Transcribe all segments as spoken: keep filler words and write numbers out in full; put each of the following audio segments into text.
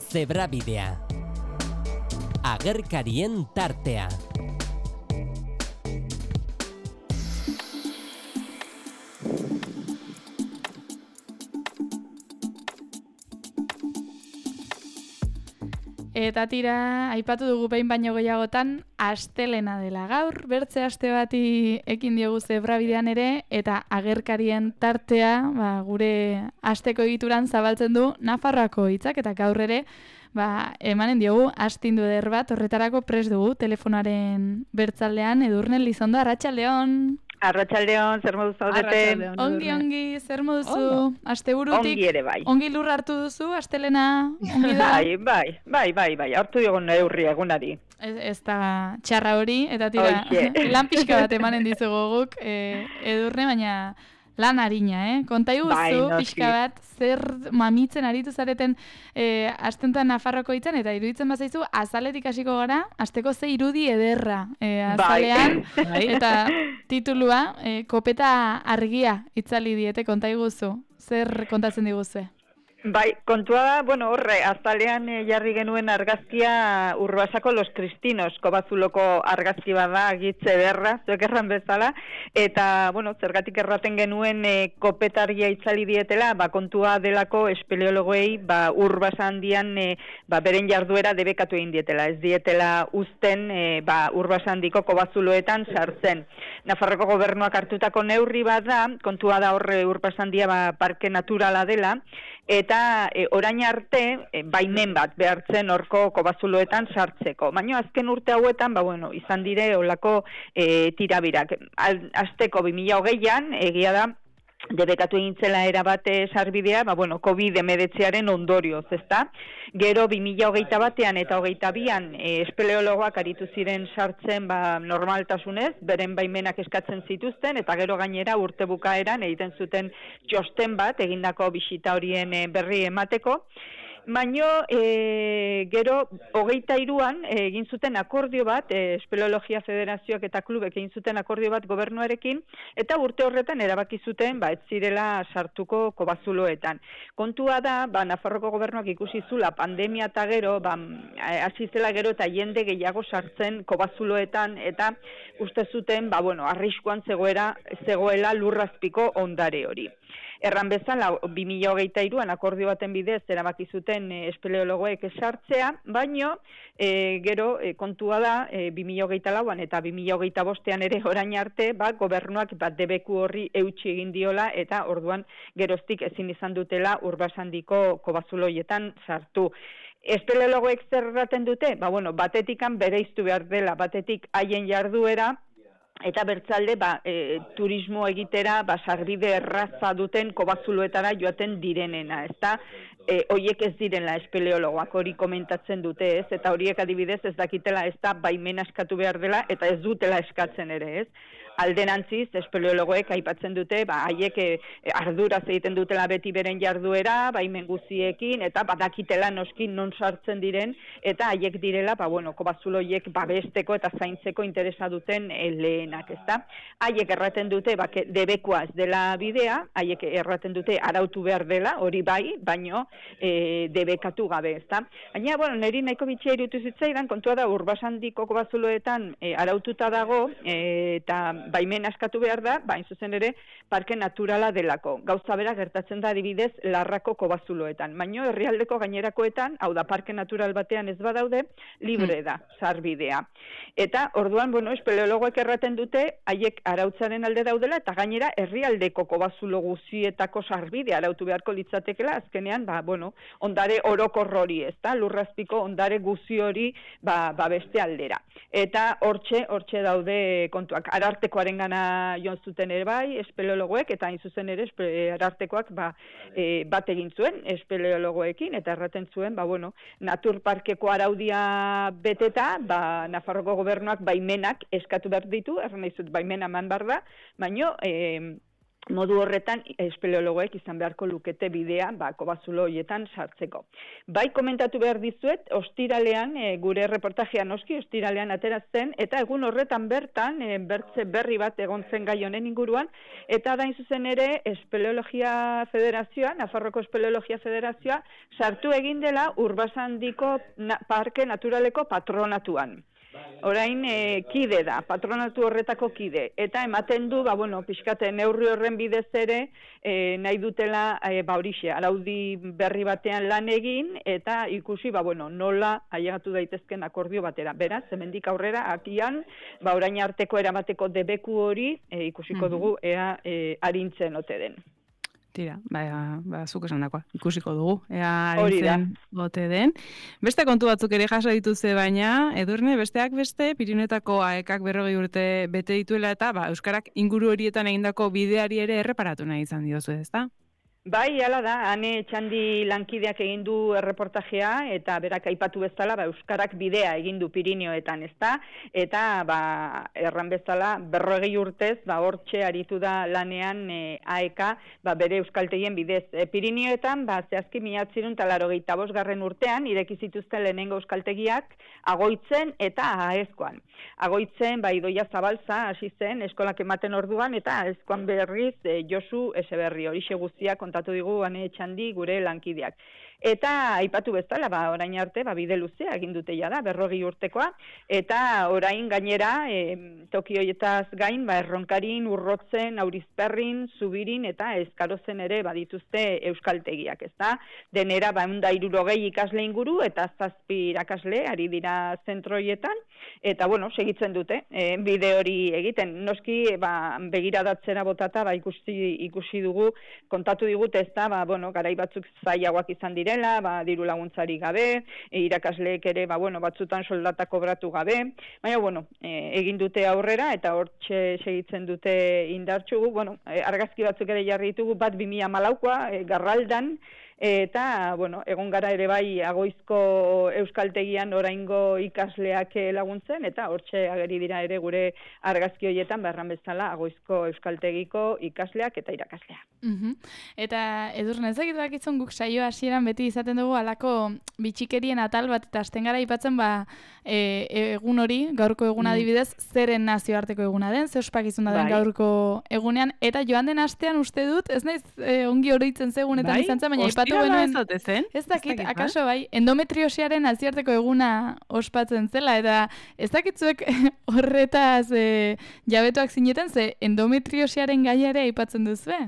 Zebrabidea. Agerkarien tartea. Eta tira, aipatu dugu behin baino gehiagotan, astelena dela gaur, bertze aste bati ekin diogu Zebrabidean ere, eta agerkarien tartea, ba, gure asteko egituran zabaltzen du Nafarroako hitzak, eta gaur ere, ba, emanen diogu astindu eder bat, horretarako prest dugu, telefonaren bertzaldean, Edurne Lizondo, arratsaldeon. Arratsaldeon, zer modu zaudete? Ongi, ongi, zer moduzu? Asteburutik ongi ere bai. Ongi lur hartu duzu, astelena, ongi da? Bai, bai, bai, bai, bai, hartu dugun neurri egunari. Ez, ez da txarra hori, eta tira, lan pixka bat emanen dizugu guk, e, Edurne, baina lan harina, eh? Konta iguzu, bai, no, pixka bat, zer mamitzen aritu zareten e, astentan Nafarroko hitzan, eta iruditzen bazaizu, azaletik hasiko gara, asteko ze irudi ederra e, azalean, bai. Eta titulua, e, kopeta argia itzali diete, konta iguzu, zer kontatzen diguzue? Bai, kontua da, bueno, horre, azalean eh, jarri genuen argazkia Urbasako Los Cristinos, Kobazuloko argazki bada, gitze berra, zuek erran bezala, eta, bueno, zergatik erraten genuen eh, kopetargia itzali dietela, ba, kontua delako espeleologoei, ba, Urbasa handian, eh, ba, beren jarduera debekatu egin dietela, ez dietela uzten, eh, ba, Urbasa handiko Kobazuloetan sartzen. Nafarroko gobernuak hartutako neurri bada, kontua da horre Urbasa handia, ba, parke naturala dela, eta e, orain arte e, baimen bat behartzen horko Kobazuloetan sartzeko. Baina azken urte hauetan, ba, bueno, izan dire olako e, tirabirak. Azteko bi mila hogeian, egia da, debekatu egintzela erabate sarbidea, ba, bueno, covid hemeretziaren ondorioz, ezta? Gero bi mila hogeita batean eta hogeita bian e, espeleologoak aritu ziren sartzen ba, normaltasunez, beren baimenak eskatzen zituzten, eta gero gainera urte bukaeran egiten zuten txosten bat, egindako bisita horien e, berri emateko. Baino, e, gero, hogeita iruan egin zuten akordio bat, e, Espeleologia Federazioak eta klubek egin zuten akordio bat gobernuarekin, eta urte horretan erabaki zuten, ba, ez zirela sartuko Kobazuloetan. Kontua da, ba, Nafarroko gobernuak ikusi zula pandemia eta gero, ba, hasi zela gero eta jende gehiago sartzen Kobazuloetan, eta uste zuten, ba, bueno, arriskuan zegoera, zegoela lurrazpiko ondare hori. Erran bezala, bi mila hogeita iruan akordio baten bidez erabaki zuten e, espeleologoek sartzea, baino e, gero e, kontua da e, bi mila hogeita lauan eta bi mila hogeita bostean ere orain arte, ba, gobernuak bat debeku horri eutsi egin diola eta orduan geroztik ezin izan dutela Urbasandiko Kobazuloietan sartu. Espeleologoek zer erraten dute? Ba, bueno, batetikan bereiztu behar dela, batetik haien jarduera, eta bertzalde, ba, e, turismo egitera, ba, sarbide erraza duten Kobazuloetara joaten direnena, ezta? E, hoiek ez direla espeleologoak hori komentatzen dute, ez? Eta horiek adibidez ez dakitela ez da baimena eskatu behar dela, eta ez dutela eskatzen ere, ez? Alderantziz, espeleologoek aipatzen dute, ba, haiek e, arduraz egiten dutela beti beren jarduera, baimen guziekin, eta badakitela noski non sartzen diren, eta haiek direla, ba, bueno, Kobazuloiek babesteko eta zaintzeko interesa duten e, lehenak, ezta? Haiek erraten dute, ba, debekoa ez dela bidea, haiek erraten dute arautu behar dela, hori bai, baino e, debekatu gabe, ezta? Baina, bueno, niri nahiko bitxia irutu zitzaidan, kontua da Urbasandiko Kobazuloetan e, araututa dago, e, eta baimen askatu behar da, bain zuzen ere, parke naturala delako. Gauza bera gertatzen da adibidez Larrako Kobazuloetan. Baino herrialdeko gainerakoetan, hau da parke natural batean ez badaude, libre da, sarbidea. Eta orduan, bueno, espeleologoek erraten dute, haiek arautzaren alde daudela, eta gainera herrialdeko Kobazulo guzietako sarbidea arautu beharko litzatekela, azkenean, ba, bueno, ondare orokor hori, ez da, lurrazpiko ondare guzi hori, ba, ba beste aldera. Eta hortxe, hortxe daude kontuak. Ararteko Arengana joan zuten ere bai, espeleologoek, eta hain zuzen ere arartekoak ba, e, bat egin zuen espeleologoekin, eta erraten zuen, ba, bueno, naturparkeko araudia beteta, ba, Nafarroko gobernuak baimenak eskatu behar ditu, erran nahi zut baimena eman behar da, baino, e, modu horretan espeleologoek izan beharko lukete bidea ba, kobazulo horietan sartzeko. Bai komentatu behar dizuet, ostiralean, e, gure reportajea noski, ostiralean ateratzen, eta egun horretan bertan, e, bertze berri bat egon zen gai honen inguruan, eta dain zuzen ere, Espeleologia Federazioa, Nafarroko Espeleologia Federazioa, sartu egin dela Urbasandiko na, Parke Naturaleko patronatuan. Orain e, kide da, patronatu horretako kide, eta ematen du, ba, bueno, pixkate neurri horren bidez ere, e, nahi dutela, e, ba, horixe, araudi berri batean lan egin, eta ikusi, ba, bueno, nola ailegatu daitezken akordio batera. Beraz, hemendik aurrera, akian, ba, orain arteko eramateko debeku hori, e, ikusiko dugu, ea e, arintzen ote den. Tira, ba, ba, zuk esan dakoa, ikusiko dugu, ea arintzen bote den. Beste kontu batzuk ere jaso dituze baina, Edurne, besteak beste, Pirinetako aekak berrogei urte bete dituela eta ba, Euskarak inguru horietan egindako bideari ere erreparatu nahi izan diozu, ezta? Bai, hala da, Ane Txandi lankideak egin du erreportajea eta berak aipatu bezala ba, Euskarak bidea egin du Pirineoetan, ezta? Eta ba, erran bezala berrogei urtez ba, hortxe aritu da lanean e, aeka ba, bere euskaltegien bidez. E, Pirineoetan ba, zehazki mila bederatziehun eta laurogeita bost garren urtean ireki zituzten lehenengo euskaltegiak Agoitzen eta Aezkoan. Agoitzen ba, Idoia Zabalza hasi zen eskolak ematen orduan eta Aezkoan berriz e, Josu Eseberri horixe guztiak kontatu digu Ane Txandi gure lankideak. Eta aipatu bezala, ba, orain arte, ba, bide luzea egin dute da, berrogei urtekoa, eta orain gainera, e, toki horietaz gain, ba, Erronkarin, Urrotzen, Aurizperrin, Zubirin eta Eskarozen ere badituzte euskaltegiak, ezta? Denera, ba, eunda hirurogei ikasle inguru eta zazpi irakasle ari dira zentroietan, eta, bueno, segitzen dute, e, bide hori egiten. Noski, ba, begiradatzera botata, ba, ikusi, ikusi dugu, kontatu digute, ezta, ba, bueno, garai batzuk zailagoak izan dira, ba, diru laguntzari gabe, e, irakasleek ere ba, bueno, batzutan soldata kobratu gabe, baina bueno, e, egin dute aurrera eta hortxe segitzen dute indartxugu, bueno, e, argazki batzuk ere jarri ditugu, bat bi mila hamalaukoa, e, Garraldan, eta, bueno, egon gara ere bai Agoizko euskaltegian oraingo ikasleak laguntzen, eta hortxe ageri dira ere gure argazki horietan, berran bezala, Agoizko euskaltegiko ikasleak eta irakasleak. Uh-huh. Eta Edurne, ezagit bakitzun guk saio hasieran beti izaten dugu alako bitxikerien atal bat, eta hasten gara aipatzen ba, e, egun hori, gaurko eguna adibidez, zeren nazioarteko eguna den, ze ospakizuna den bai. Gaurko egunean, eta joan den astean uste dut, ez naiz e, ongi oroitzen zegunetan bai? Izan zen, baina aipatu genuen, ez dakit, akaso bai, endometriosiaren nazioarteko eguna ospatzen zela, eta ez dakitzuek horretaz e, jabetuak zineten, ze endometriosiaren gaiare aipatzen duzue?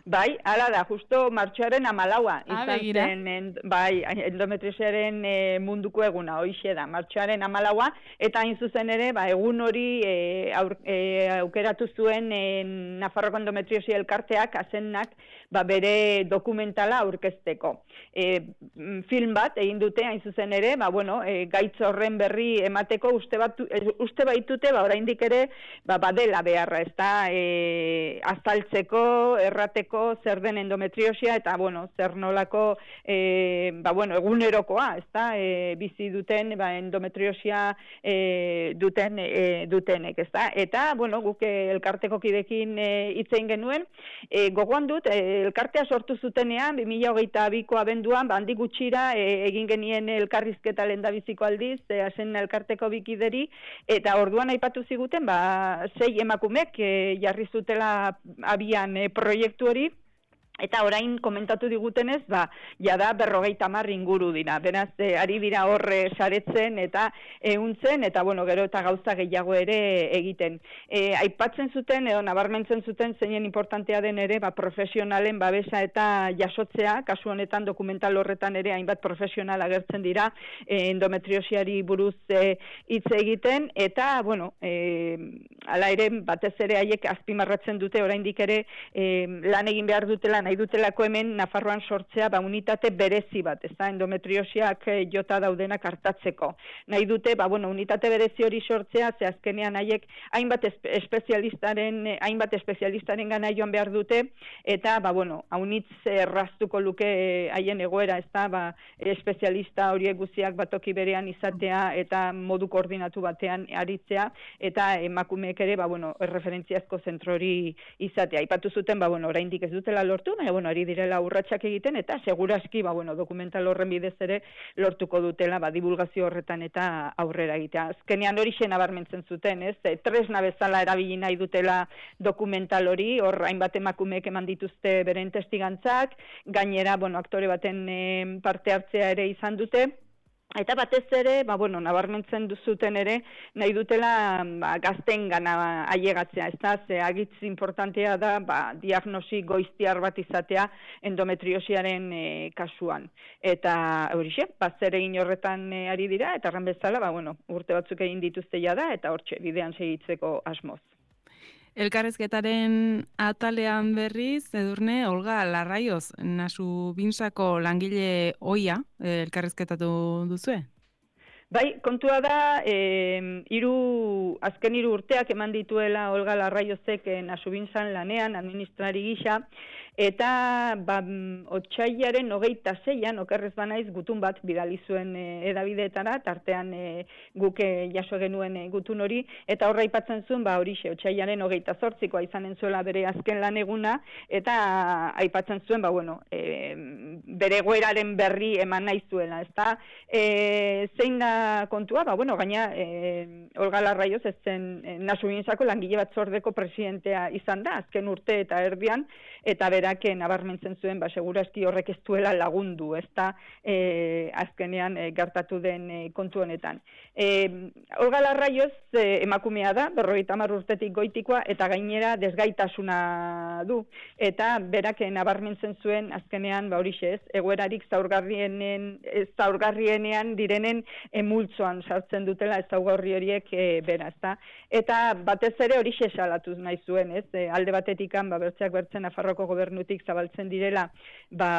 Bai, hala da, justo martxoaren amalaua. Ah, izan zen, en, bai, endometriosiaren e, munduko eguna, hoixe da, martxoaren amalaua, eta hain zuzen ere, ba, egun hori e, aur, e, aukeratu zuen e, Nafarroko endometriosia elkarteak, azennak, ba, bere dokumentala aurkezteko. E, film bat egin dute, hain zuzen ere, ba, bueno, e, gaitz horren berri emateko uste, bat, e, uste baitute, ba, oraindik ere, ba, badela beharra, ez da, e, azaltzeko, errateko, zer den endometriosia eta bueno, zer nolako e, ba, bueno, egunerokoa, ezta? E, bizi duten ba, endometriosia e, duten e, dutenek, ezta? Eta bueno, guk elkarteko kidekin hitz egin genuen, e, gogoan dut e, elkartea sortu zutenean bi mila hogeita biko abenduan, ba, handik gutxira e, egin genien elkarrizketa lehendabiziko aldiz, e, hasen elkarteko bikideri, eta orduan aipatu ziguten, ba, sei emakumek e, jarri zutela abian e, proiektu hori. Eta orain komentatu digutenez, ba, jada berrogeita hamar inguru dira. Beraz, e, ari dira horre saretzen eta ehuntzen, eta bueno, gero eta gauza gehiago ere egiten. E, aipatzen zuten, edo nabarmentzen zuten, zeinen importantea den ere, ba, profesionalen babesa eta jasotzea, kasu honetan dokumental horretan ere hainbat profesional agertzen dira, e, endometriosiari buruz hitz e, egiten, eta, bueno, e, ala ere, batez ere haiek azpimarratzen dute, oraindik ere, e, lan egin behar dutela, nahi dutelako hemen Nafarroan sortzea ba, unitate berezi bat, ez da, endometriosiak e, jota daudenak hartatzeko. Nahi dute, ba, bueno, unitate berezi hori sortzea, ze azkenean haiek hainbat espezialistaren, hainbat espezialistaren gana joan behar dute, eta, ba, bueno, haunitz erraztuko luke haien egoera, ez da, ba, espezialista horiek guztiak batoki berean izatea, eta modu koordinatu batean aritzea, eta emakumeek horiek ere, ba, bueno, erreferentziazko zentrori izatea. Aipatu zuten, ba, bueno, oraindik ez dutela lortu, baina, bueno, ari direla urratsak egiten, eta seguraski, ba, bueno, dokumental horren bidez ere lortuko dutela, ba, divulgazio horretan eta aurrera egitea. Azkenean hori nabarmentzen zuten, ez? E, tresna bezala erabili nahi dutela dokumental hori, hor hainbat emakumeek eman dituzte beren testigantzak, gainera, bueno, aktore baten e, parte hartzea ere izan dute, eta batez ere, ba, bueno, nabarmentzen duzuten ere, nahi dutela ba, gaztengana ailegatzea, ez da, ze agitz importantea da, ba, diagnosi goiztiar bat izatea endometriosiaren e, kasuan. Eta horixe, bat zer egin horretan e, ari dira, eta erran bezala, ba, bueno, urte batzuk egin dituzte da, eta hortxe, bidean segitzeko asmoz. Elkarrezketaren atalean berriz, Edurne, Olga Larraioz, Nasu Binsako langile ohia elkarrezketatu duzue? Bai, kontua da, e, iru, azken hiru urteak eman dituela Olga Larraiozek e, Nasu Binsan lanean, administrari gisa, eta ba, otsailaren hogeita zeian, okerrez banaiz, gutun bat bidali zuen e, edabideetara, tartean e, guk e, jaso genuen e, gutun hori, eta horra aipatzen zuen, ba, horixe, otsailaren hogeita zortzikoa izanen zuela bere azken lan eguna, eta aipatzen zuen, ba, bueno, e, bere goeraren berri eman nahi zuela, ezta? E, zein da kontua, ba, bueno, gaina e, Olga Larraioz ez zen e, Nasu Binsako langile batzordeko presidentea izan da, azken urte eta erdian, eta berak nabarmentzen zuen, ba, segurazki horrek ez duela lagundu, ez da, e, azkenean e, gertatu den e, kontu honetan. E, Olga Larraioz e, emakumea da, berrogeita hamar urtetik goitikoa, eta gainera desgaitasuna du, eta berak nabarmentzen zuen, azkenean, ba, horixe ez, egoerarik zaurgarrienen, zaurgarrienean direnen e, multzoan sartzen dutela ezaugarri horiek e, bera, ezta? Eta batez ere horixe salatuz nahi zuen, ez? E, alde batetikan, ba, bertzeak bertzen Nafarroako gobernutik zabaltzen direla, ba,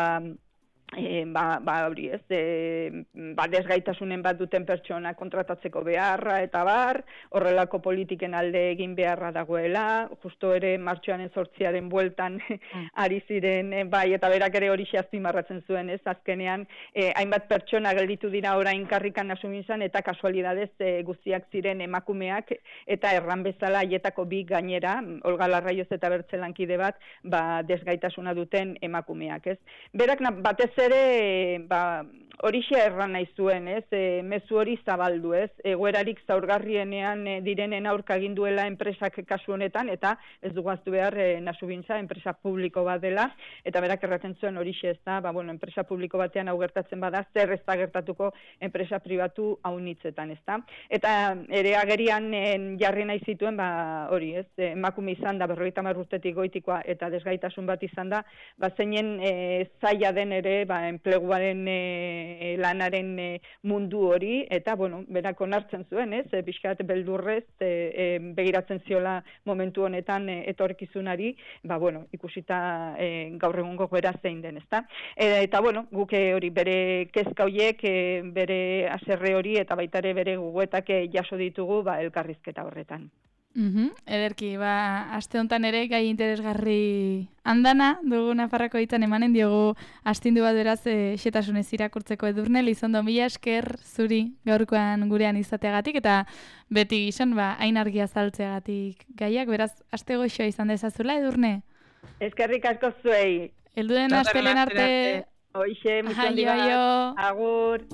E, ba, ba, hori ez, e, ba, desgaitasunen bat duten pertsona kontratatzeko beharra eta bar, horrelako politiken alde egin beharra dagoela, justo ere martxoaren zortziaren bueltan mm. ari ziren, e, bai, eta berak ere hori azpimarratzen zuen, ez, azkenean, e, hainbat pertsona gelditu dira orain karrikan Nasu Binsan, eta kasualidadez e, guztiak ziren emakumeak, eta erran bezala haietako bi gainera, Olga Larraioz eta bertzelankide bat, ba, desgaitasuna duten emakumeak, ez. Berak batez ere, ba, horixe erran nahi zuen, ez, e, mezu hori zabaldu, ez, egoerarik zaurgarrienean e, direnen aurka egin duela enpresak kasu honetan, eta ez dugaztu behar e, Nasu Binsa enpresa publiko bat dela, eta berak erraten zuen horixe, ez da, ba, bueno, enpresa publiko batean hau gertatzen bada, zer ez da gertatuko enpresa pribatu haunitzetan, ez da. Eta ere agerian e, jarri nahi zituen, ba, hori, ez, e, emakume izan da, berrogeita hamar urtetik goitikoa, eta desgaitasun bat izan da, ba, zeinen e, zaila den ere, ba, enpleguaren e, lanaren e, mundu hori, eta, bueno, berak onartzen zuen, ez, e, pixkat beldurrez, e, e, begiratzen ziola momentu honetan e, etorkizunari, ba, bueno, ikusita e, gaur egungo goera zein den, ezta. E, eta, bueno, guk hori bere kezka horiek, e, bere haserre hori, eta baita ere bere gogoetak e, jaso ditugu, ba, elkarrizketa horretan. Mm-hmm. Ederki, ba, aste honetan ere gai interesgarri handana dugu Nafarrako hitzan emanen diogu astindu bat beraz e, xetasunez irakurtzeko Edurne, Lizondo, mila esker zuri gaurkoan gurean izateagatik eta beti gizon, ba, hain argia zaltzeagatik gaiak, beraz, aste goxoa izan dezazula Edurne? Eskerrik asko zuei. Elduden astelen arte. Hoixe, muchon dira. Agur.